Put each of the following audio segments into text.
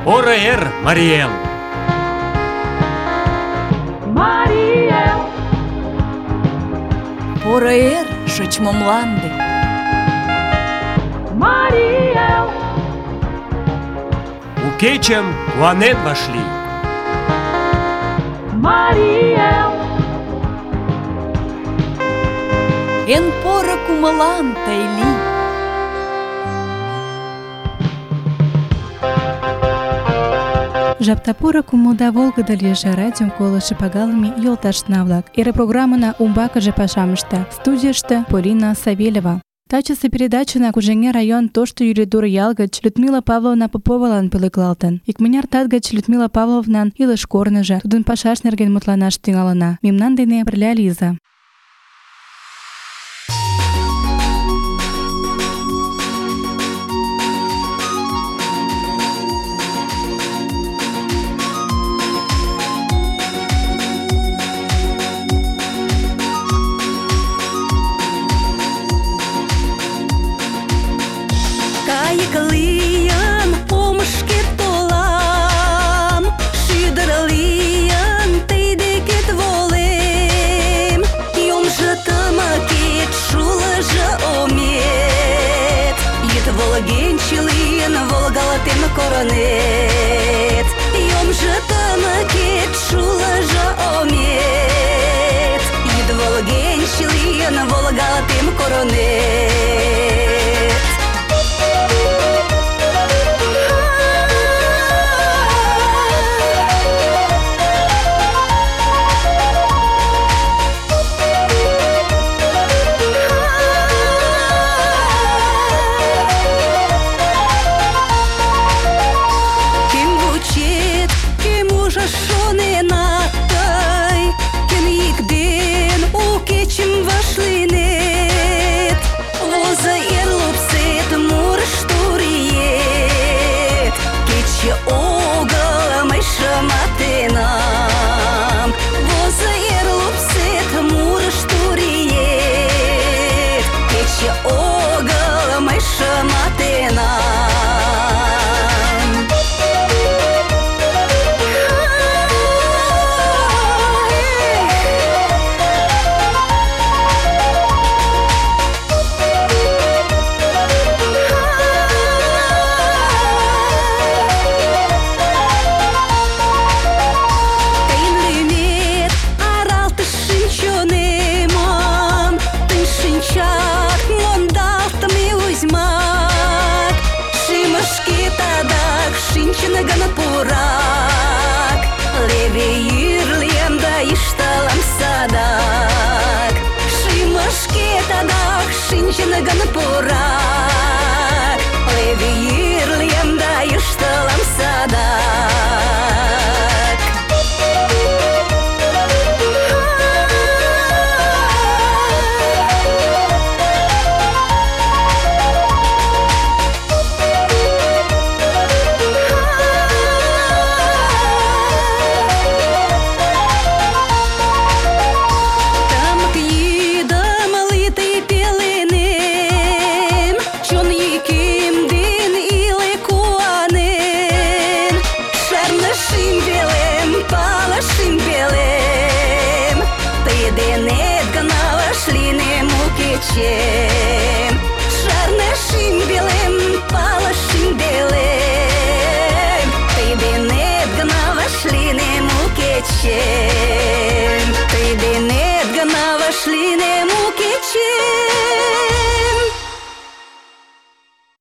Поро эр, Марий Эл! Марий Эл! Поро эр, шочмо мланде! Марий Эл! У кечым куанен вашлий! Марий Эл! Эн поро кумылан тый лий! Жапта поро кумылда волгыдо лийже, радиом колышо пагалыме йолташна-влак. Эре программына умбакыже пашам ышта. Студийыште Полина Савельева. Тачысе передачына Кужеҥер район Тошто Юридур ял гыч Людмила Павловна Поповалан пӧлеклалтын. Икмыняр тат гыч Людмила Павловнан илыш корныжо, тудын пашаж нерген мутланаш тӱҥалына. Мемнан дене пырля лийза. Кайык-лийын омышкет толам, шӱдыр-лийын тый декет волем. Йомжо тымыкет, шулыжо омет, йӱд волгенче лийын волгалтен коронет. Йомжо тымыкет, шулыжо омет, йӱд волгенче лийын волгалтен коронет. Шинчен пурак, леве йӱрлем да йӱштылам садак. Шарнышим белым, палышим белым, тый денет гына вашлинем у кечем, тый денет гына вашлинем у кечем.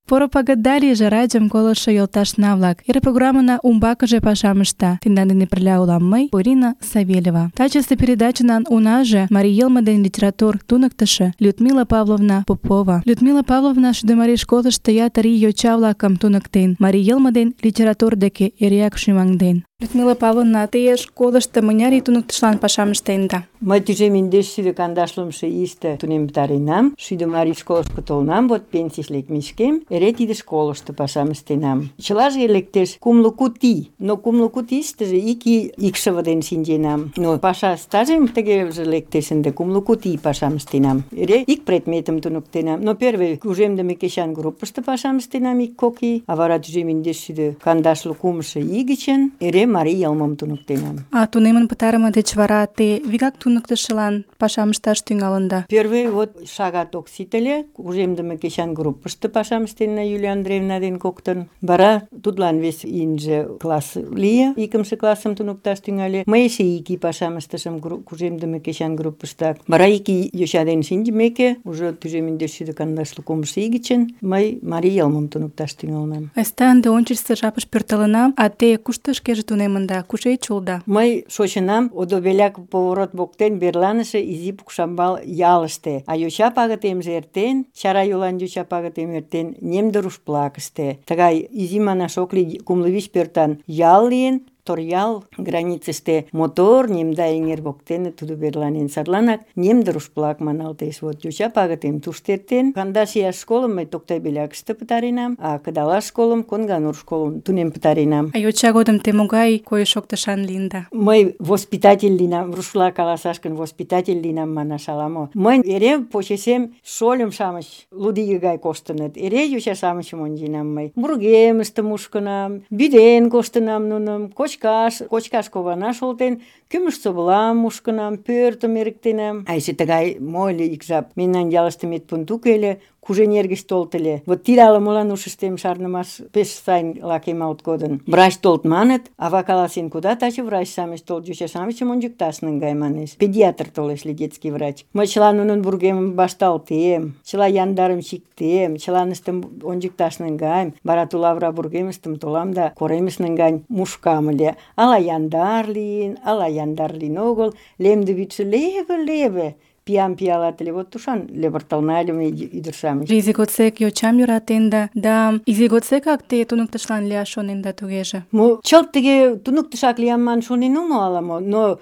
Поро пагытда лийже, радиом колышо йолташна-влак. Эре программына умбакыже пашам ышта. Тендан дене пырля улам мый, Полина Савельева. Тачысе передачынан унаже марий йылме ден литератур туныктышо Людмила Павловна Попова. Людмила Павловна Шӱдымарий школышто ятыр ий йоча-влакым туныктен, марий йылме ден литератур деке эреак шӱмаҥден. Людмила Павловна, те школышто мыняр ий туныктышлан пашам ыштенда? Мый тӱжем индеш шӱдӧ кандашлымше ийыште тунем пытаренам, шӱдӧ марий школышко толынам, вот пенсийыш лекмешкем, эре тиде школышто пашам ыштенам. Чылаже лектеш кумло куд ий, но кумло куд ийыштыже ик ий икшыве ден шинченам. Но паша стажем тыгеже лектеш ынде кумло куд ий пашам ыштенам. Эре ик предметым туныктенам. Но первый кужемдыме кечан группышто пашам ыштенам ик-кок ий, а вара тӱжем индеш шӱдӧ кандашлу кумшо ий гычын эре марий йылмым туныктенам. А тунемын пытарыме деч вара те вигак туныктышылан пашам ышташ тӱҥалында? Первый вот шагат ок сите ыле, кужемдыме кечан группышто пашам ыштенна Юлия Андреевна ден коктын. Вара тудлан вес ийынже класс лие, икымше классым туныкташ тӱҥале. Мый эше ик ий пашам ыштышым кужемдыме кечан группыштак. Вара ик ий йоча ден шинчымеке, уже тӱжем индеш шӱдӧ кандашлу кумшо ий гычын мый марий йылмым туныкташ тӱҥалынам. Айста ынде ончычсо жапыш пӧртылына, а те кушто шкеже тунемында, кушеч улыда? Мый шочынам Одобеляк поворот воктен верланыше Изи Пукшамбал ялыште, а йоча пагытемже эртен, чара йолан йоча пагытем эртен Немдыруш-Плакыште. Тыгай изи манаш ок лий, кумло вич пӧртан ял лийын, Торъял границыште мотор Немда эҥер воктене тудо верланен. Садланак Немдыруш-Плак маналтеш. Вот йоча пагытем тушто эртен. 12 ияш школым мый Токтай-Белякыште пытаренам, а кыдалаш школым Конганур школым тунем пытаренам. А йоча годым те могай койыш-шоктышан лийында? Мый воспитатель лийынам, рушла каласаш гын, воспитатель лийынам манаш ала-мо. Мый эре почешем шольым-шамыч лудиге гай коштыныт. Эре йоча-шамычым онченам мый. Вургемыште мушкынам, вӱден коштынам нуным, кочкаш кованаш олтен, кӱмыж-совлам мушкынам, пӧртым эрыктенам. А эше тыгай мо ыле ик жап. Мемнан ялыште медпункт уке ыле, Куженер гыч толыт ыле. Вот тиде ала-молан ушыштем шарнымаш пеш сайын лакемалт кодын. Врач толыт маныт, ава каласен, куда таче врач-шамыч толыт, йоча-шамычым ончыкташ наҥгай манеш. Педиатр толеш ыле, детский врач. Мый чыла нунын вургемым вашталтем, чыла яндарым чиктем, чыланыштым ончыкташ наҥгаем. Вара ту лавыра вургемыштым толам да коремыш наҥгайын мушкам ыле. Ала яндар лийын огыл, лемде вӱдшӧ леве-леве. Пиам пиалат ыле, вот тушан левыртылна ыле ме ӱдыр-шамыч. Изи годсек йочам йӧратенда, да изи годсекак те туныктышлан лияш шоненда тугеже? Мо чылт тыге туныктышак лиям манын шонен омыл ала-мо, но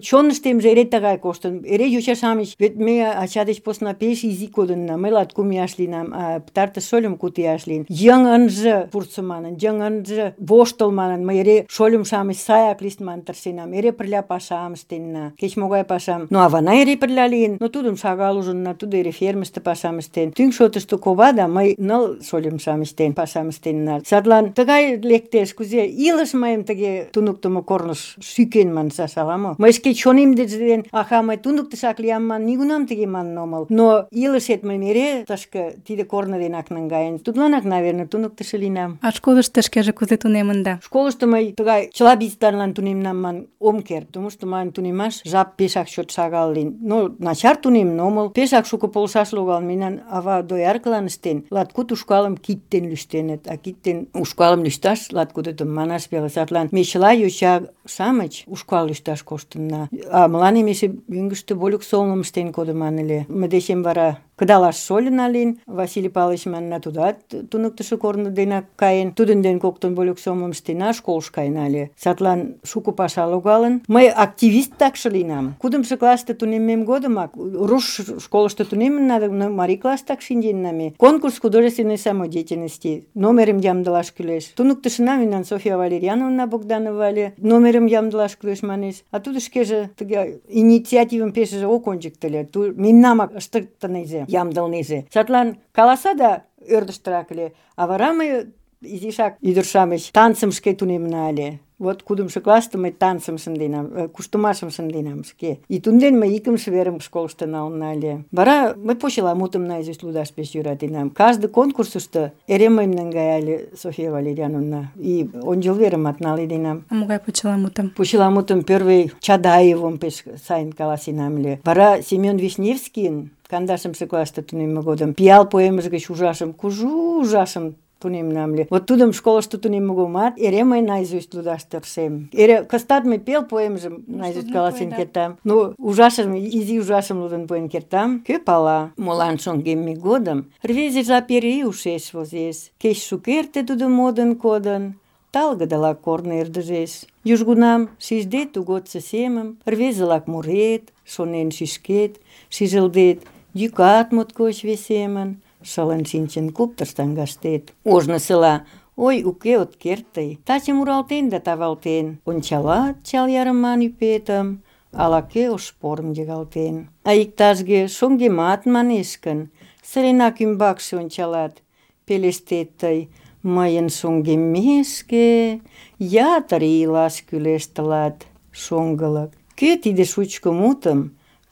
чоныштемже эре тыгай коштын. Эре йоча-шамыч, вет ме ача деч посна пеш изи кодынна. Мый 2 ияш лийынам, а пытартыш шольым 2 ияш лийын. Йыҥ ынже пурсо манын, йыҥ ынже воштыл манын, мый эре шольым-шамыч саяк лийышт манын тыршенам. Эре пырля пашам ыштенна, кеч-могай пашам. Но авана эре пырля лийын, но тудым шагал ужынна, тудо эре фермыште пашам ыштен. Тӱҥ шотышто кова да мый 4 шольым-шамыч дене пашам ыштенна. Садлан тыгай лектеш, кузе илыш мыйым тыге туныктымо корныш шӱкен маншаш ала-мо. Мый шке чонем деч ден, мый туныктышак лиям ман, нигунам тыге манын омыл. Но илышет мыйым эре тышке тиде корно денак наҥгаен. Тудланак, наверное, туныктышо лийынам. А школышто шкеже кузе тунемында? Школышто мый тыгай чыла биздарлан тунемнам ман ом керт, потому что мыйын тунемаш жап пешак чот шагал лийын. Но начар тунемын омыл, пешак шуко полшаш логал. Мемнан ава дояркылан ыштен, 2 ушкалым кид ден лӱштеныт, а кид ден ушкалым лӱшташ 2 манаш веле. Садлан ме чыла йоча-шамыч ушкал лӱшташ коштынна. А мыланем эше мӧҥгыштӧ вольык сомылым ыштен кодыман ыле. Мый дечем вара кыдалаш шольына лийын, Василий Павлович манна, тудат туныктышо корно денак каен. Тудын ден коктын вольык сомылым ыштена, школыш каена ыле. Садлан шуко паша логалын. Мый активист такше лийынам. 4 классте тунеммем годымак руш школышто тунемынна, но марий класстак шинченна ме. Конкурс художественной самодеятельности. Номерым ямдылаш кӱлеш. Туныктышына мемнан Софья Валерьяновна Богданова ыле. Номерым ямдылаш кӱлеш манеш. А тудо шкеже тыге инициативым пешыже ок ончыкто ыле. Мемнамак ыштыктынеже, ямдылнеже. Садлан каласа да ӧрдыжтырак ыле. А вара мый изишак ӱдыр-шамыч танцым шке тунемна ыле. Вот 4 классте мый танцым шынденам, куштымашым шынденам шке. И тунден мый 2 верым школышто налынна ыле. Вара мый почеламутым наизусть лудаш пеш йӧратенам. Каждый конкурсышто эре мыйым наҥгая ыле Софья Валерьяновна. И ончыл верымат наледенам. А могай почеламутым? Почеламутым первый Чадаевым пеш сайын каласенам ыле. Вара Семен Вишневскийын 12 классте тунемме годым пиал поэмыж гыч кужу ужашым тунемнам ыле. Вот тудым школышто тунемме годымат эре мый наизусть лудаш тыршем. Эре кыстат мый пел поэмжым наизусть каласен кертам. Ну, ужашым, изи ужашым лудын пуэн кертам. Кӧ пала, молан шоҥгемме годым рвезе жап эре ушеш возеш. Кеч шукерте тудо модын кодын, талгыдылак корно ӧрдыжеш. Южгунам шижде тугодсо семым, рвезылак мурет, шонен шӱшкет, шижылдет, йӱкат моткоч весемын, шылын шинчын куптыр саҥгаштет. Ожнысыла ой, уке от керт тый, таче муралтен да тавалтен, ончалат чал ярыман ӱпетым, ала-кӧ ош порым йыгалтен. А иктажге шоҥгемат манеш гын, сыренак ӱмбакше ончалат, пелештет тый: мыйын шоҥгеммешке ятыр ий илаш кӱлеш тылат, шоҥгылык. Кӧ тиде шучко мутым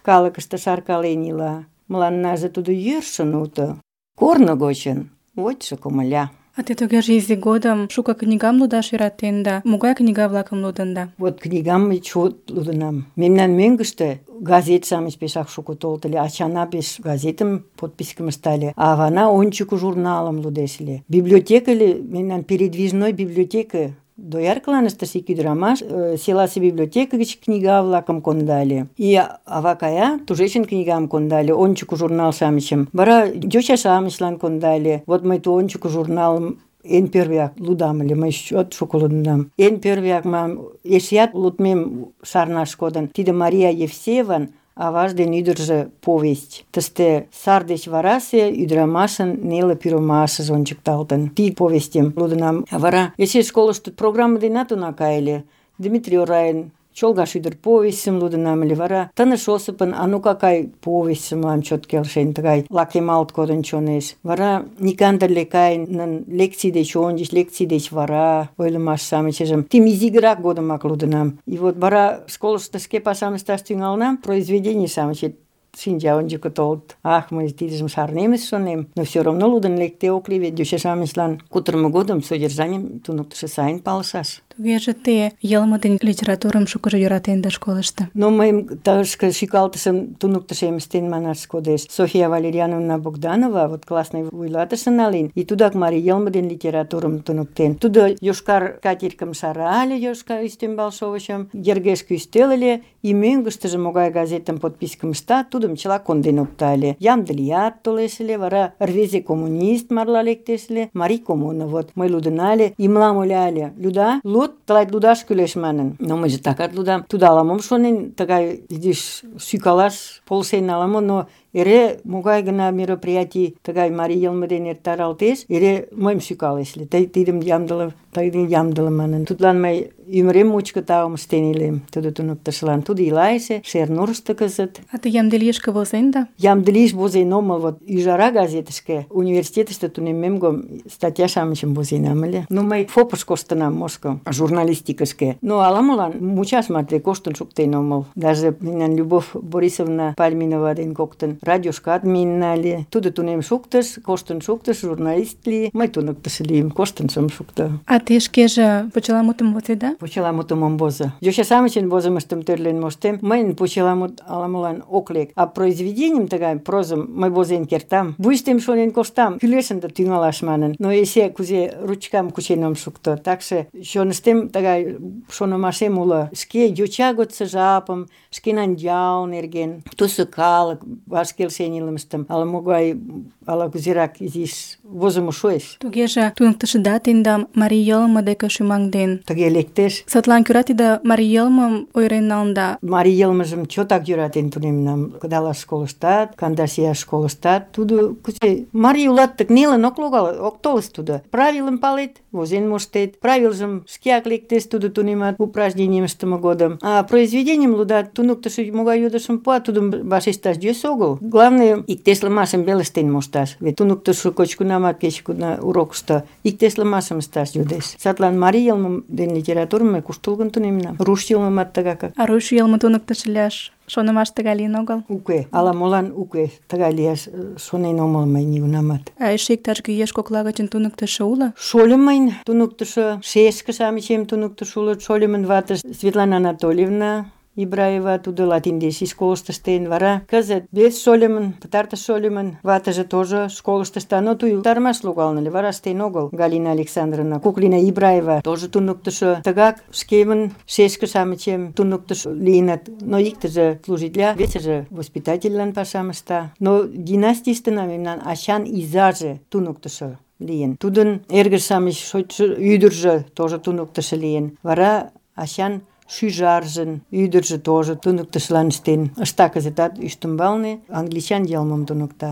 калыкыште шаркален ила? Мыланнаже тудо йӧршын уто, корно гочын вочшо комыля. А те тугеже изи годым шуко книгам лудаш йӧратенда. Могай книга-влакым лудында? Вот книгам мый чот лудынам. Мемнан мӧҥгыштӧ газет-шамыч пешак шуко толыт ыле. Ачана пеш газетым подпискым ышта ыле, а авана ончыко журналым лудеш ыле. Библиотека ыле, мемнан передвижной библиотека. Дояркылан ыштыш ик ӱдырамаш, селасе библиотека гыч книга-влакым кондале. И ава кая, тушечын книгам кондале, ончыко журнал-шамычым. Вара йоча-шамычлан кондале. Вот мый ту ончыко журналым эн первыяк лудам ыле, мый чот шуко лудынам. Эн первыяк мам эшеат лудмем шарнаш кодын. Тиде Мария Евсееван «Аваж ден ӱдыржӧ» повесть. Тыште сар деч варасе ӱдырамашын неле пӱрымашыже ончыкталтын. Тиде повестьым лудынам. А вара эше школышто программа денат уна кайыле. Дмитрий Орайын «Чолга шӱдыр» повестьым лудынам ыле. Вара Тыныш Осыпын «А ну какай» повестьым мылам чот келшен, тыгай лакемалт кодын чонеш. Вара Никандр Лекайнын лекций деч ончыч, лекций деч вара ойлымаш-шамычыжым тим изигырак годымак лудынам. И вот вара школышто шке пашам ышташ тӱҥалынам, произведений-шамычет шинча ончыко толыт. Ах, мый тидыжым шарнемыс шонем, но все равно лудын лекте ок лий, вет йоча-шамычлан кутырымо годым содержанийым туныктышо сайын палышаш. Тугеже те йылме ден литературым шукыжо йӧратенда школышто. Но мыйым тышке шӱкалтышым туныктышем ыштен манаш кодеш. Софья Валерьяновна Богданова, вот классный вуйлатыше налин, и тудак марий йылме ден литературым туныктен. Тудо йошкар катиркым шарале, йошкар ӱстембал шовычым, йыргешке ӱстел ыле, и мӧҥгыштыжӧ могай газетым подпискым ышта, тудым чыла конден опта ыле. Ямде лият толеш ыле, вара рвезе коммунист марла лектеш ыле, марий коммуна. Вот мый лудына ыле, и мылам ойла ыле: «Люда, луд, тылат лудаш кӱлеш» манын. Но мыйже такат лудам. Тудо ала-мом шонен, тыгай изиш шӱкалаш полшен ала-мо, но эре могай гына мероприятий тыгай марий йылме дене эртаралтеш, эре мыйым шӱкалеш ыле. Тый тидым ямдыле манын. Тудлан мый ӱмырем мучко таум ыштен илем. Тудо туныктышылан. Тудо ила эше Шернурышто кызыт. А те Ямделишке возенда? Ямделиш возен омыл, вот Ӱжара газетышке университетыште тунеммем гом статья-шамычым возенам ыле. Ну, мый ФОПыш коштынам, Моско, журналистикышке. Но ала-молан мучаш марте коштын шуктен омыл. Даже мемнан Любовь Борисовна Пальминова ден коктын радиошкат миенна ыле. Тудо тунем шуктыш, коштын шуктыш, журналист лие. Мый туныктыше лийым, коштын шым шукто. А те шкеже почеламутым возеда? Почеламутым ом возо. Йоча-шамычын возымыштым тӧрлен моштем. Мыйын почеламут ала-молан ок лек. А произведенийым тыгай прозым мый возен кертам. Вуйыштем шонен коштам, кӱлешын да тӱҥалаш манын. Но эше кузе ручкам кучен ом шукто. Такше чоныштем тыгай шонымашем уло. Шке йоча годсо жапым, шкенан ял нерген, тусо калык ваш келшен илымыштым ала-могай, ала-кузерак изиш возымо шуэш. Тугеже туныктышыда тендам марий йылме деке шӱмаҥден. Тыге лектеш. Садлан кӧра тиде марий йылмым ойырен налында. Марий йылмыжым чотак йӧратен тунемнам. Кыдалаш школыштат, Кандашияш школыштат. Тудо кузе марий улат, так нелын ок логал, ок толыс тудо. Правилым палет, возен моштет. Правилжым шкеак лектеш тудо тунемат упражненийым ыштыме годым. А произведенийым лудат, туныктышо могай йодышым пуа, тудым вашешташ йӧсӧ огыл. Главное, иктешлымашым веле ыштен мошташ. Вет туныктышо кеч-кунамат кеч-куна урокышто иктешлымашым ышташ йодеш. Садлан марий йылмым ден литературым мый куштылгын тунемнам. Руш йылмымат тыгакак. А руш йылме туныктышо лияш шонымаш тыгай лийын огыл? Уке, ала-молан уке, тыгай лияш шонен омыл мый нигунамат. А эше иктаж-кӧ еш кокла гычын туныктышо уло? Шольым мыйын туныктышо, шешке-шамычем туныктышо улыт. Шольымын ватыж Светлана Анатольевна Ибраева, тудо латиндеш школышто ыштен. Вара кызыт вес шольымын, пытартыш шольымын ватыже тоже школышто ышта, но тудо утарымаш логалын ыле, вара ыштен огыл. Галина Александровна, Куклина Ибраева тоже туныктышо. Тыгак шкемын шешке-шамычем туныктышо лийыныт. Но иктыже служитля, весыже воспитательлан пашам ышта. Но династийыштына мемнан ачан изаже туныктышо. лийын. Тудын эргыж-шамыч шочшо ӱдыржӧ тоже туныктышо лийын. Вара ачан шӱжаржын ӱдыржӧ тоже туныктышылан ыштен. Ышта кызытат ӱстембалне англичан йылмым туныкта.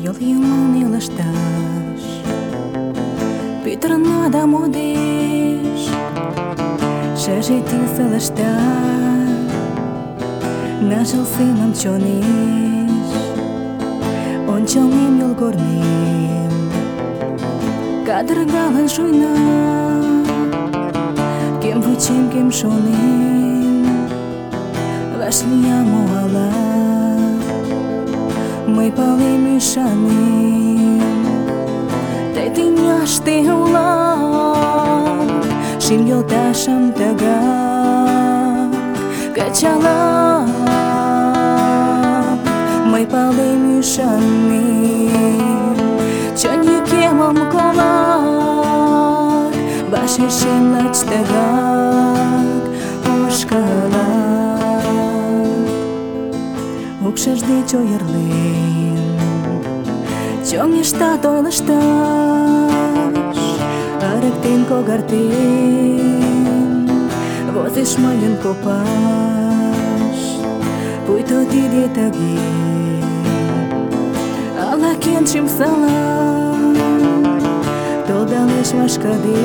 Йол йымалне лышташ пӱтырна да модеш, шыже тӱсӧ лышташ ныжыл семым чонеш. Ончылнем йолгорнем кадыргалын шуйна, кем вучем, кем шонем, вашлиям мо ала. Мый палем, ӱшанем, тый тӱняште улат, шӱм йолташым тыгак кычалам. Мый палем, ӱшанем, чон йӱкемым колат, вашешем лач тыгак ошкылат. Укшыж деч ойырлен чоҥештат ойлышташ, ырыктен когартен возеш мыйын копаш. Пуйто тиде тыге ала-кӧн шӱмсылам толдалеш вашкыде,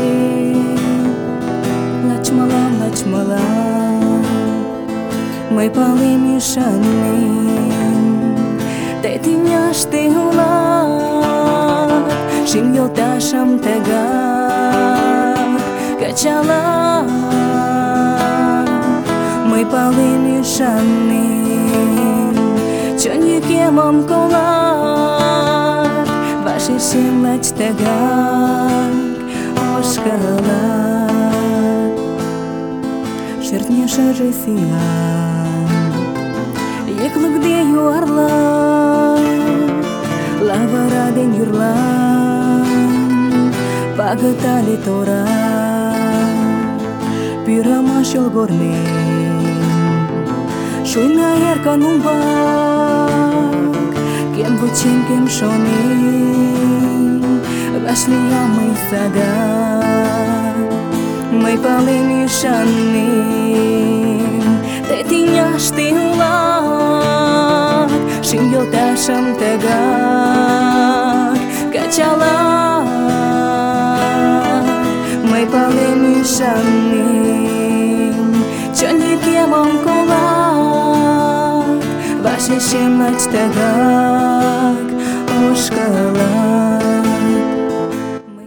лач мылам, лач мылам. Мый палем, ӱшанем, тый тӱняште улат, шӱм йолташым тыгак кычалам. Мый палем, ӱшанем, чон йӱкемым колат, вашешем лач тыгак ошкылат. Шӧртньӧ шыже сӱан йыклыкде юарла, лавыра ден йӱрлан пагытале тора. Пӱрымаш йолгорнем шуйна эркын умбак, кем вучем, кем шонем, вашлиям мый садак. Мый палем, ӱшанем, тый тӱняште улат, шӱм йолташым тыгак кычалам. Мый палем, ӱшанем, чон йӱкемым колат, вашешем лач тыгак ошкылат.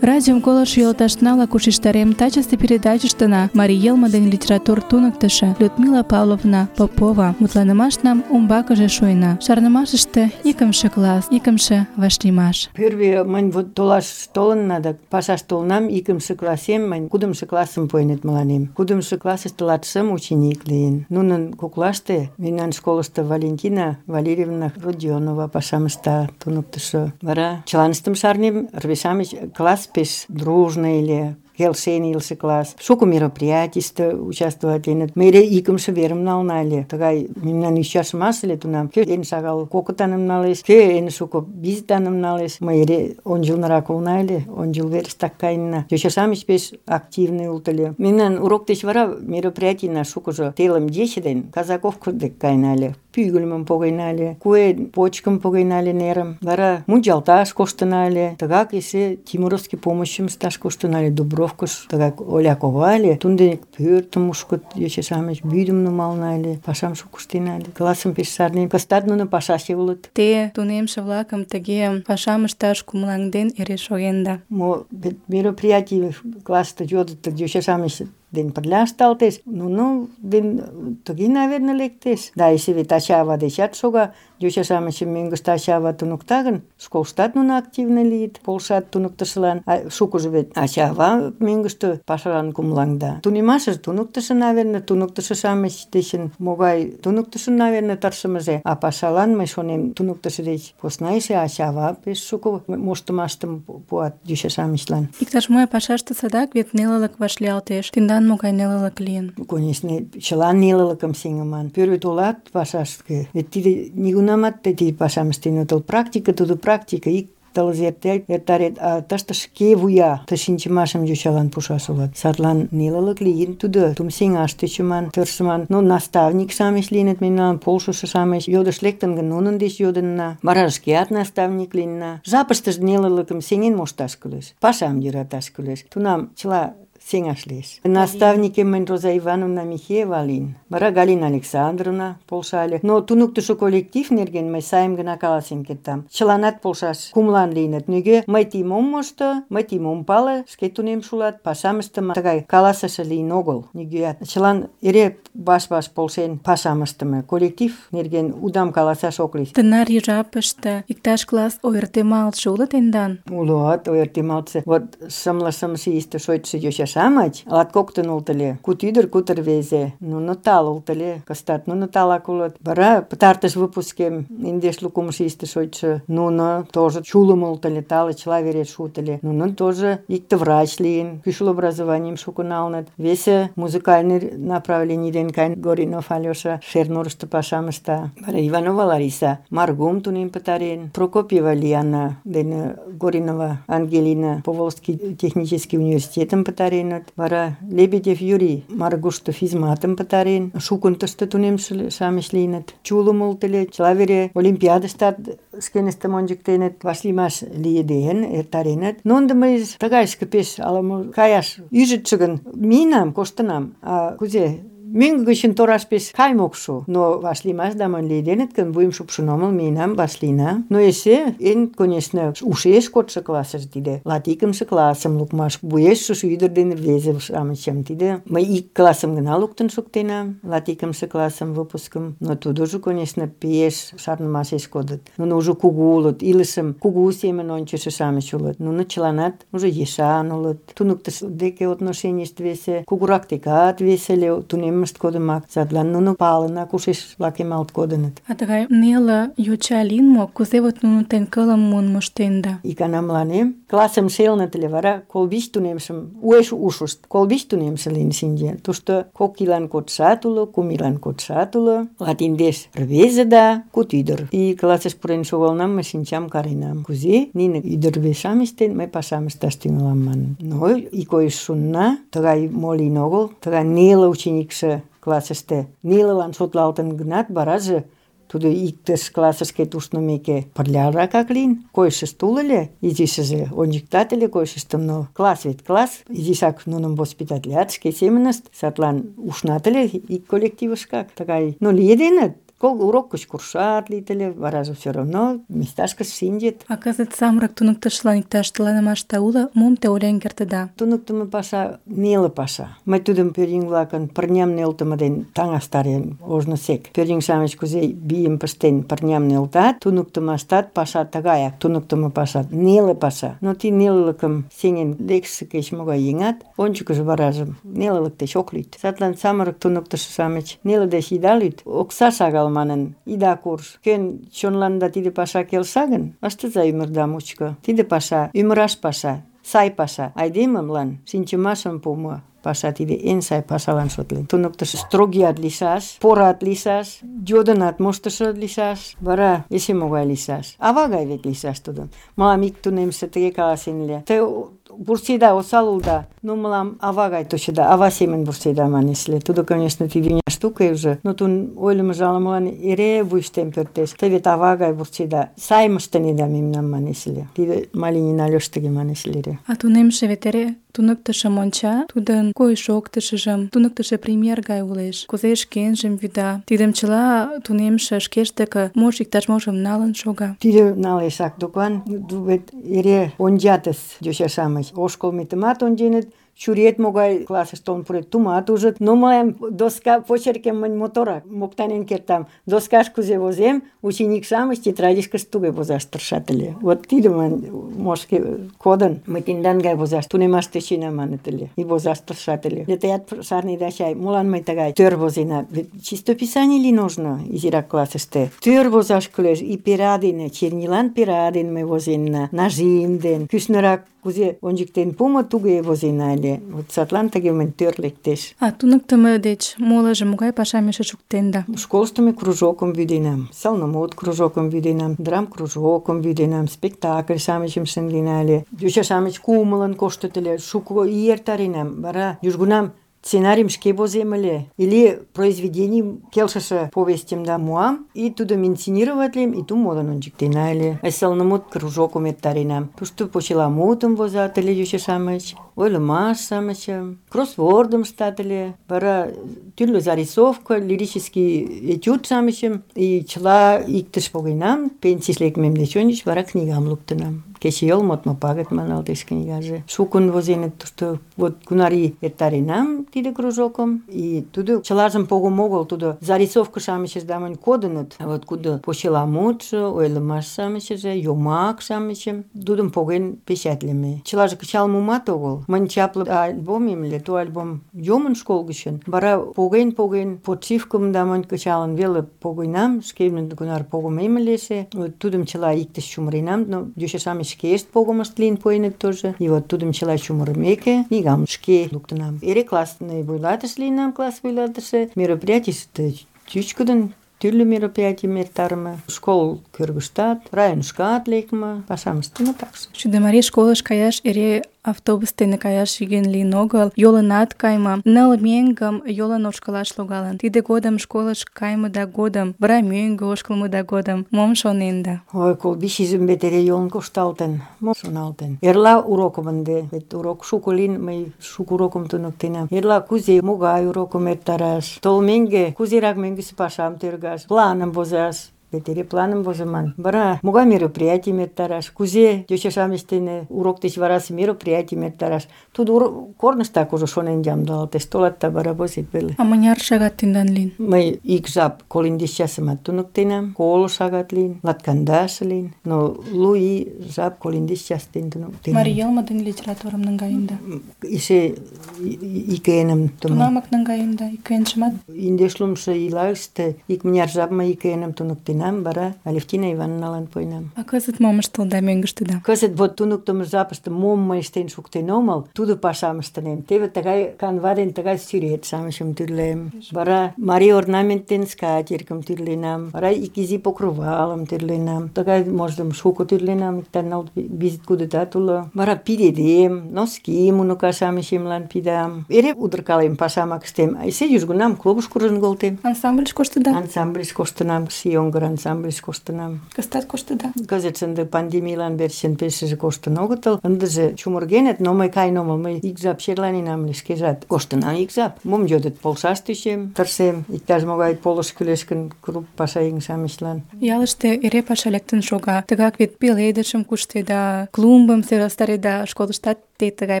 Радиом колыш йолташна-влак ушештарем, тачысе передачыштына марий йылме ден литератур туныктышо Людмила Павловна Попова мутланымашнам умбакыже шуйна. Шарнымашыште икымше класс, икымше вашлиймаш. Первый мынь вот толаш толынна да пашаш толынам, икымше классем мынь кудымшо классым пуэныт мыланем. Кудымшо классыште латшым ученик лийын. Нунын коклаште мемнан школышто Валентина Валерьевна Родионова пашам ышта, туныктышо. Вара чыланыштым шарнем, рвеж-шамыч класс пеш дружно иле, келшен илыше класс. Шуко мероприятийыште участвоватленыт. Ме эре икымше верым нална ыле. Тыгай мемнан ӱчашымаш ыле тунам. Кӧ эн шагал кокытаным налеш, кӧ эн шуко визытаным налеш. Мый эре ончылнырак улна ыле, ончыл верыштак каенна. Йоча-шамыч пеш активный улыт ыле. Мемнан урок деч вара мероприятийна шукыжо телым ече ден Казаковко дек каена ыле. Пӱгыльмым погена ыле, куэ почкым погена ыле нерым. Вара мунчалташ коштына ыле. Тыгак эше Тимуровский помощьым ышташ коштына ыле Дубровкыш. Тыгак Оля кова ыле. Тунден пӧртым мушкыт йоча-шамыч, вӱдым нумална ыле, пашам шуко ыштена ыле. Классым пеш шарнем. Кызытат нуно пашаче улыт. Те тунемше-влакым тыге пашам ышташ кумылаҥден эре шогенда. Мо мероприятий классыште йодыт, йоча-шамыч ден пырля ышталтеш, нуно ден тыге, наверное, лектеш. Да, эше вет ача-ава дечат шога. Йоча-шамычым мӧҥгыштӧ ача-ава туныкта гын, школыштат нуно активно лийыт, полшат туныктышылан. Шукыжо вет ача-ава мӧҥгыштӧ пашалан кумылаҥда. Тунемашыже туныктышо, наверное, туныктышо-шамыч дечын могай туныктышын, наверное, тыршымыже. А пашалан, мый шонем, туныктышо деч посна эше ача-ава пеш шуко моштымаштым пуат йоча-шамычлан. Иктаж-мо пашаште садак вет нелылык вашлиялтеш. Тендан Молан могай нелылык лийын? Конечно, чылан нелылыкым сеҥыман. Пӧрвӧ толат пашашке, вет тиде нигунамат тиде пашам ыштен отыл. Практика тудо практика, ик тылзе эртарет, а тыште шке вуя ты шинчымашым йочалан пушаш улат. Садлан нелылык лийын тудо, тум сеҥаш тӧчыман, тыршыман. Но наставник-шамыч лийыныт мемнан, полшышо-шамыч. Йодыш лектын гын, нунын деч йодынна. Вара шкеат наставник лийынна. Жапыштыже нелылыкым сеҥен мошташ кӱлеш, пашам йӧраташ кӱлеш. Тунам чыла сеҥаш лиеш. Наставникем мынь Роза Ивановна Михеева лийын. Вара Галина Александровна полшале. Но туныктышо коллектив нерген мый сайым гына каласен кертам. Чыланат полшаш кумылан лийыныт. Нигӧ мый тидым ом мошто, мый тидым ом пале, шке тунемше улат, пашам ыштыме. Тыгай каласыше лийын огыл нигӧат. Чылан эре ваш-ваш полшен пашам ыштыме. Коллектив нерген удам каласаш ок лий. Тынар жапыште иктаж класс ойыртемалтше уло тендан? Улот, ойыртемалтше. Вот шымле-шымше ийыште шочшо йоча-шамыч латкоктын улыт ыле. Куд ӱдыр, куд рвезе. Нуно тал улыт ыле. Кызытат нуно талак улыт. Вара пытартыш выпускем индешлу кумшо ийыште шочшо нуно тоже чулым улыт ыле, тале чыла вере шуыт ыле. Нунын тоже икте врач лийын, кӱшыл образованийым шуко налыныт. Весе музыкальный направлений ден каен. Горинов Алёша Шернурышто пашам ышта. Вара Иванова Лариса Маргум тунем пытарен. Прокопьева Лиана ден Горинова Ангелина Поволжский технический университетым пытареныт. Вара Лебедев Юрий Маргушто физматым пытарен. Шукын тыште тунемше-шамыч лийыныт. Чулым улыт ыле, чыла вере олимпиадыштат шкеныштым ончыктеныт, вашлиймаш лийеден, эртареныт. Но ынде мый тыгайышке пеш ала-мо каяш ӱжытшӧ гын, миенам, коштынам. А кузе? Мӧҥгӧ гычын тораш пеш кайыме ок шу. Но вашлиймашда монь лиеденыт гын, вуйым шупшын омыл, миенам, вашлийна. Но эше эн, конечно, ушеш кодшо классыже тиде. Латикымше классым лукмаш. Вуеш шушо ӱдыр ден рвезе-шамычым тиде. Мый ик классым гына луктын шуктенам, латикымше классым, выпускым. Но тудыжо, конечно, пеш шарнымашеш кодыт. Нуно уже кугу улыт, илышым кугу семын ончышо-шамыч улыт. Нуно чыланат уже ешан улыт. Туныктышо деке отношенийышт весе, кугурак декат веселе, тунеммышт кодымак. Садлан нуно палына, кушеш лакемалт кодыныт. А тыгай неле йоча лийын мо? Кузе вот нуно тен кылым муын моштенда? Икана мыланем классым шелыныт ыле, вара колбич тунемшым уэш ушышт. Колбич тунемше лийын шинче. Тушто 2 ийлан кодшат уло, 3 ийлан кодшат уло. Латиндеш рвезе да куд ӱдыр. И классыш пурен шогалынам, мый шинчам каренам. Кузе нине ӱдыр-рвезе-шамыч дене мый пашам ышташ тӱҥалам манын. Но икойыш шунна, тыгай мо лийын огыл, тыгай неле ученикше классыште нелылан шотлалтын гынат, вараже тудо иктыш классышке ушнымеке пырляракак лийын. Койышышт уло ыле, изишыже ончыктат ыле койышыштым, но класс вет класс, изишак нуным воспитатлят, шке семынышт, садлан ушнат ыле ик коллективышкак. Тыгай, но лиеденыт. Урок гыч куржшат лийыт ыле, вараже все равно месташкыш шинчыт. А кызыт самырык туныктышлан иктаж тыланымашта уло, мом те ойлен кертыда? Туныктымо паша неле паша. Мый тудым пӧръеҥ-влакын пырням нӧлтымӧ дене таҥастарем ожнысек. Пӧръеҥ-шамыч кузе вийым пыштен пырням нӧлтат, туныктымаштат паша тыгаяк. Туныктымо паша неле паша. Но тиде нелылыкым сеҥен лекше кеч-могай еҥат ончыкыжо варажым нелылык деч ок лӱд. Садлан самырык туныктышо-шамыч неле деч ида лӱд, окса шагал манын ида курж. Кӧн чонланда тиде паша келша гын, ыштыза ӱмырда мучко. Тиде паша ӱмыраш паша, сай паша. Айдемылан шинчымашым пуымо паша тиде эн сай пашалан шотлен. Туныктышо строгият лийшаш, порат лийшаш, йодынат моштышо лийшаш, вара эше могай лийшаш. Ава гай вет лийшаш тудын. Мылам ик тунемше тыге каласен ыле: те вурседа, осал улыда, но мылам ава гай точыда, ава семын вурседа манеш ыле. Тудо, конечно, тиде виня штука уже, но тудын ойлымыжо ала-молан эре вуйыштем пӧрдеш. Те вет ава гай вурседа, сайым ыштынеда мемнам манеш ыле. Тиде Малинин Алёш тыге манеш ыле. А тунемше вет эре туныктышым онча, тудын койыш-шоктышыжым, туныктышо пример гай улеш, кузе шкенжым вӱда. Тидым чыла тунемше шкеж деке мош иктаж-можым налын шога. Тиде налешак докан, вет эре ончатыс йоча-шамыч. Ошкылметымат онченыт, чуриет могай классыш толын пурет, тумат ужыт. Но мыйым доска почеркем монь моторак, моктанен кертам. Доскаш кузе возем, ученик-шамыч тетрадишкышт туге возаш тыршат ыле. Вот тиде монь мошке кодын, мый тендан гай возаш тунемаш тӧчена маныт ыле. И возаш тыршат ыле. Теат шарнеда чай, молан мый тыгай тӧр возена? Вет чистописаний ли нужно изирак классыште? Тӧр возаш кӱлеш, и пера дене, чернилан пера дене мый возенна, нажим ден, кӱшнырак кузе ончыктен пуымо, туге возена ыле. Вот садлан тыге мынь тӧр лектеш. А туныктымо деч молыжо могай пашам эше шуктенда? Школышто ме кружокым вӱденам, сылнымут кружокым вӱденам, драм кружокым вӱденам, спектакль-шамычым шындена ыле. Йоча-шамыч кумылын коштыт ыле, шуко ий эртаренам. Вара южгунам сценарийым шке возем ыле. Или произведений келшыше повестьым да муам, и тудым инсценироватлем, и ту модын ончыктена ыле. Сылнымут кружокым эртаренам. Тушто почеламутым возат ыле йоча-шамыч, ойлымаш-шамычым, кроссвордым ыштат ыле. Вара тӱрлӧ зарисовка, лирический этюд-шамычым, и чыла иктыш погенам, пенсийыш лекмем деч ончыч, вара книгам луктынам. Кечыйол модмо пагыт маналтеш книгаже. Шукын возеныт тушто. Вот кунар ий эртаренам тиде кружокым, и тудо чылажым погым огыл, тудо зарисовка-шамычыш да монь кодыныт. А вот кудо почеламутшо, ойлымаш-шамычыже, йомак-шамычым, тудым поген печатлеме. Чылаже кычал мумат огыл. Монь чапле альбомем ыле, ту альбом йомын школ гычын. Вара поген, подшивкым да монь кычалын веле погенам, шкемын кунар погымем ыле эше. Вот тудым чыла иктыш чумыренам, но йоча-шамыч шкешт погымышт лийын пуэныт тоже. И вот тудым чыла чумырымеке, книгам шке луктынам. Эре классный вуйлатыш лийынам, класс вуйлатыше. Мероприятийыште чӱчкыдын тӱрлӧ мероприятийым эртарыме. Школ кӧргыштат, районышкат лекме, пашам ыштыме такше. Чудо-марий школыш каяш эре автобус дене каяш йӧн лийын огыл, йолынат кайме, 9 меҥгым йолын ошкылаш логалын. Тиде годым школыш кайымыда годым, вара мӧҥгӧ ошкылмыда годым мом шоненда? Ой, колбиш изым вет эре йолын кошталтын, мом шоналтен. Эрла урокым ынде, вет урок шуко лийын, мый шуко урокым туныктенам. Эрла кузе, могай урокым эртараш, толмеҥге, кузерак мӧҥгысӧ пашам тӧргаш, планым возаш. Вет эре планым возыман. Вара могай мероприятийым эртараш, кузе йоча-шамыч дене урок деч варасе мероприятийым эртараш. Тудо корныштак уже шонен ямдылалтеш, толат да вара возет веле. А мыняр шагат тендан лийын? Мый ик жап 30 часымат туныктенам, 30 шагат лийын, 20 лийын, но 2 ий жап 30 час дене туныктенам. Марий йылме ден литературым наҥгаенда? Эше икеным Тунамак наҥгаенда, икенжымат? Индешлумшо ийлаште икмыняр жап мый икеным туныктенам, вара Алевтина Ивановналан пуэнам. А кызыт мом ыштылда мӧҥгыштыда? Кызыт вот туныктымо жапыште мом мый ыштен шуктен омыл, тудо пашам ыштынем. Теве тыгай канва ден тыгай сӱрет-шамычым тӱрлем. Вара марий орнамент ден скатертьым тӱрленам. Вара ик изи покрывалым тӱрленам. Тыгай мождым шуко тӱрленам, иктаж 4-5 кудытат уло. Вара пидедем, носким уныка-шамычемлан пидам. Эре удыркалем, пашамак ыштем. А эше южгунам клубыш куржын колтем. Ансамбльыш коштыда? Ансамбльыш коштынам, Сионгыр ансамбльыш коштынам. Кызытат коштыда? Кызыт ынде пандемийлан верчын пешыже коштын огытыл. Ындыже чумыргеныт, но мый каен омыл. Мый ик жап черланенам ыле шкежат. Коштынам ик жап. Мом йодыт, полшаш тӧчем, тыршем. Иктаж-могай полыш кӱлеш гын круп пашаеҥ-шамычлан. Ялыште эре паша лектын шога. Тыгак вет пеледышым куштеда, клумбым сӧрастареда, школыштат те тыгай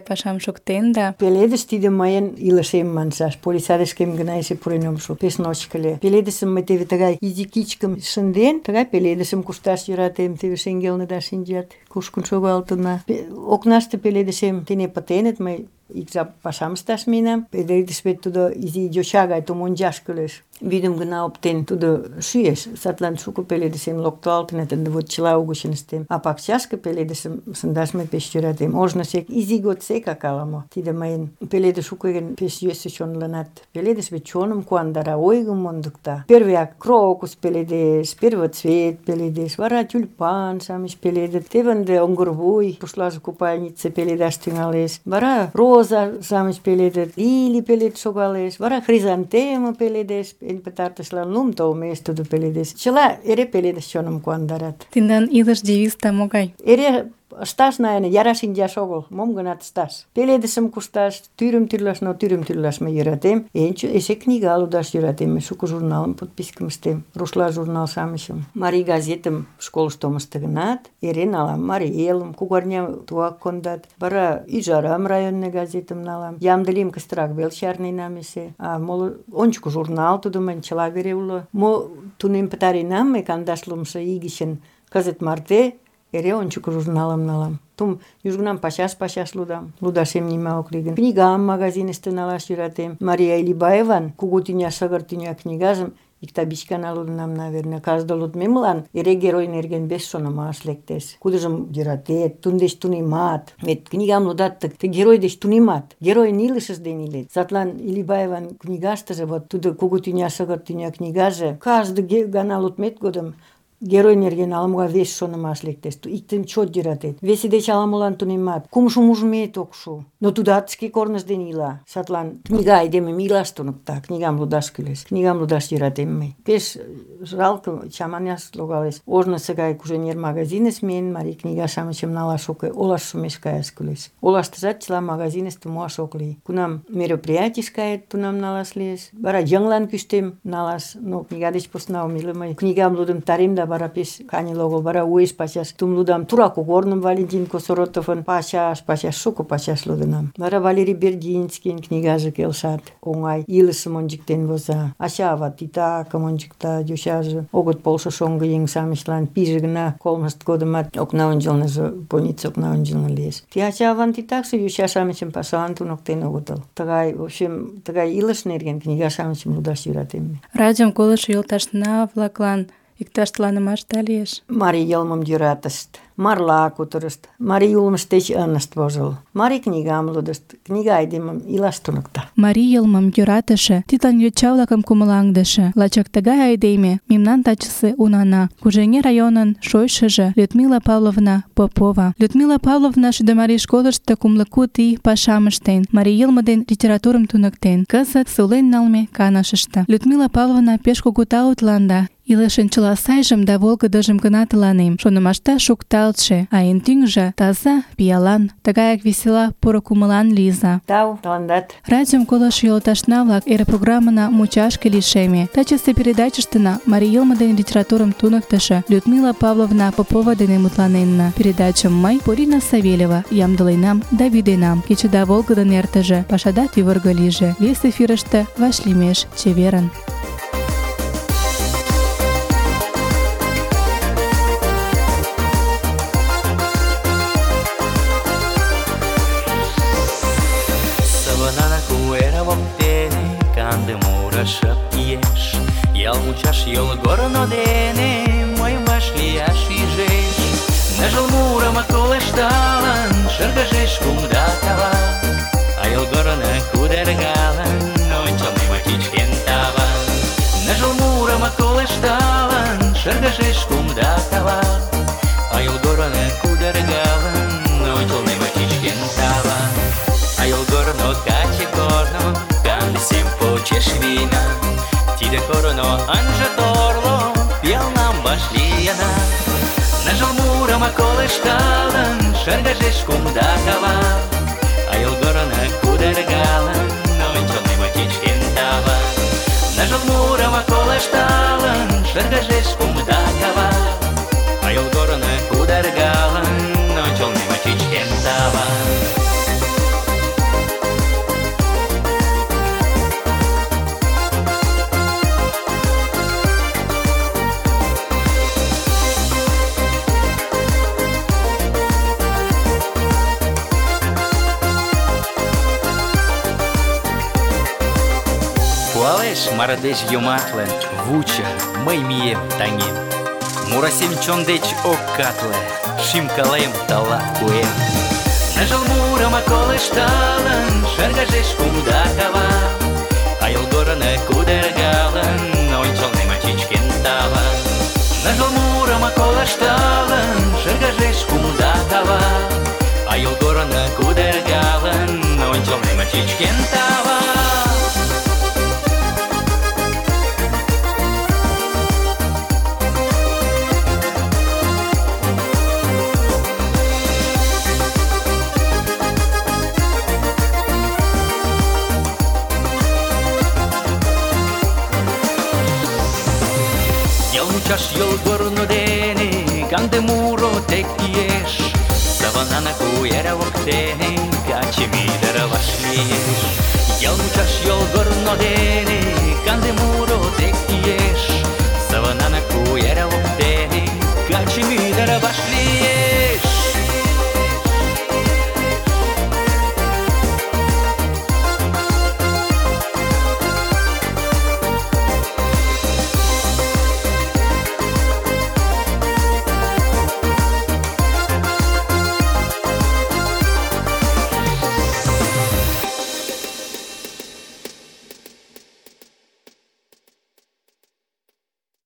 пашам шуктенда. Пеледыш тиде мыйын илышем маншаш. Полисадышкем гына эше пурен ом шу. Пеш ночко ыле. Пеледышым мый теве тыгай изи кичкым шынден, тыгай пеледышым кушташ йӧратем. Теве шеҥгелныда шинчат, кушкын шогалтына. Окнаште пеледышем тене пытеныт, мый ик жап пашам ышташ миенам. Пеледыш вет тудо изи йоча гай тумончаш кӱлеш. Вӱдым гына оптен, тудо шӱэш. Садлан шуко пеледышем локтылалтыныт, ынде вот чыла угычын ыштем. А пакчашке пеледышым шындаш мый пеш йӧратем. Ожнысек изи годсекак ала-мо. Тиде мыйын пеледыш уке гын пеш йӧсӧ чонланат. Пеледыш вет чоным куандара, ойгым мондыкта. Первыяк крокус пеледеш, первоцвет пеледеш, вара тюльпан-шамыч пеледыт. Теве ынде оҥгырвуй, рушлаже купальнице пеледаш тӱҥалеш. Вара роза-шамыч пеледыт, лилий пелед шогалеш, вара хризантема пеледеш. Эн пытартышлан лум толмеш тудо пеледеш. Чыла эре пеледыш чоным куандарат. Тендан илыш девизда могай? Эре ышташ наене, яра шинчаш огыл, мом-гынат ышташ. Пеледышым кушташ, тӱрым тӱрлаш, но тӱрым тӱрлаш мый йӧратем. Эше книга лудаш йӧратем, мый шуко журналым подпискым ыштем, рушла журнал-шамычым. Марий газетым школышто омышто гынат, эре налам. Марий элым, кугарня тугак кондат. Вара Ӱжарам районный газетым налам. Ямде лийым, кыстырак вел чарненам эше. А моло ончыко журнал тудо мыйын чыла вере уло. Мо тунем пытаренам мый 40 ий гычын кызыт марте эре ончыко журналым налам. Тум южгунам пачаш лудам. Лудашем нима ок лий гын. Книгам магазиныште налаш йӧратем. Мария Илибаеван кугу тӱня, шыгыр тӱня книгажым Икта 5 гана лудынам, наверное. Каждый лудмемлан эре герой нерген вес шонымаш лектеш. Кудыжым йӧратет, тудын деч тунемат. Вет книгам лудат, ты герой деч тунемат. Геройын илышыж дене илет. Садлан Илибаеван книгаштыже, вот тудо Кугу тӱня, шыгыр тӱня книгаже, каждый гана лудмет годым герой нерген ала-могай вес шонымаш лектеш. Иктым чот йӧратет. Весе деч ала-молан тунемат. Кумшым ужмет ок шу. Но тудат шке корныж дене ила. Садлан книга айдемым илаш туныкта. Книгам лудаш кӱлеш. Книгам лудаш йӧратем мый. Пеш жалке, чаманяш логалеш. Ожнысо гай Куженер магазинеш миен, марий книга-шамычым налаш ок лий. Олаш шумеш каяш кӱлеш. Олаштыжат чыла магазиныште муаш ок лий. Кунам мероприятийыш кает, тунам налаш лиеш. Вара йыҥлан кӱштем налаш. Но книга деч посна ом иле мый. Книгам лудым тарем да вара пеш каньыл огыл. Вара уэш пачаш тум лудам. Тура кугорным Валентин Косоротовын пачаш шуко пачаш лудынам. Вара Валерий Бердинскийын книгаже келшат. Оҥай илышым ончыктен воза. Ача-ава титакым ончыкта, йочаже огыт полшо шоҥго еҥ-шамычлан. Пиже гына колмышт годымат окна ончылныжо, больница окна ончылно лиеш. Ти ача-аван титакше йоча-шамычым пашалан туныктен огытыл. Тыгай, в общем, тыгай илыш нерген книга-шамычым лудаш йӧратем. Радиом колышо йолташна-влаклан иктаж тыланымашда лиеш? Марий йылмым йӧратышт, марла кутырышт, марий улмышт деч ынышт вожыл. Марий книгам лудышт, книга айдемым илаш туныкта. Марий йылмым йӧратыше, тидлан йоча-влакым кумылаҥдыше, лачак тыгай айдеме мемнан тачысе унана, Кужеҥер районын шочшыжо Людмила Павловна Попова. Людмила Павловна Шӱдӧ школышто кумло куд ий пашам ыштен, марий йылме ден литературым туныктен. Кызыт сулен налме канышыште. Людмила Павловна пеш кугу тау тыланда. Илышын чыла сайжым да волгыдыжым гына тыланем. Шонымашта шукталтше, а эн тӱҥжӧ таза, пиалан, тыгаяк весела, поро кумылан лийза. Тау, тыландат. Радиом колышо йолташна-влак, эре программына мучашке лишеме. Тачысе передачыштына марий йылме ден литературым туныктышо Людмила Павловна Попова дене мутланенна. Передачым мый, Полина Савельева, ямдыленам да вӱденам. Кечыда волгыдын эртыже, пашада тӱвыргӧ лийже. Вес эфирыште вашлиймеш чеверын. Канде мура шып иеш, ял мучаш йолгорно дене мый вашлияш ӱжеш. Ныжыл мурым колышталын, шыргыжеш кумда кава, а йолгорно кудыргалын, ончылнем чӱчкен тава. Ныжыл мурым колышталын, шыргыжеш кумда кава, а йолгорно кудыргалын, ончылнем чӱчкен тава. А йолгорно каче корно, сем почеш вийна, тиде корно ынже торло, пиалнам вашлийына. Ныжыл мурым колышталын, шыргыжеш кумда кава, а йолгорно кудыргалын, ончылнем чӱчкен тава. Ныжыл мурым колышталын, шыргыжеш кумда кава, а йолгорно кудыргалын, ончылнем чӱчкен тава. Пуалеш мардеж йоматле, вуча, мый мием таҥем. Мурасем чон деч ок катле, шӱм-кылем тылат пуэм. Ныжыл мурым колышталын, шыргыжеш кумда кава, а йолгорно кудыргалын, ончылнем чӱчкен тава. Ныжыл мурым колышталын, шыргыжеш кумда кава, а йолгорно кудыргалын, ончылнем чӱчкен тава. Мучаш йолгорно дене канде муро тек иеш, саванана куэра воктене каче мӱдыр вашлиеш. Ял мучаш йолгорно дене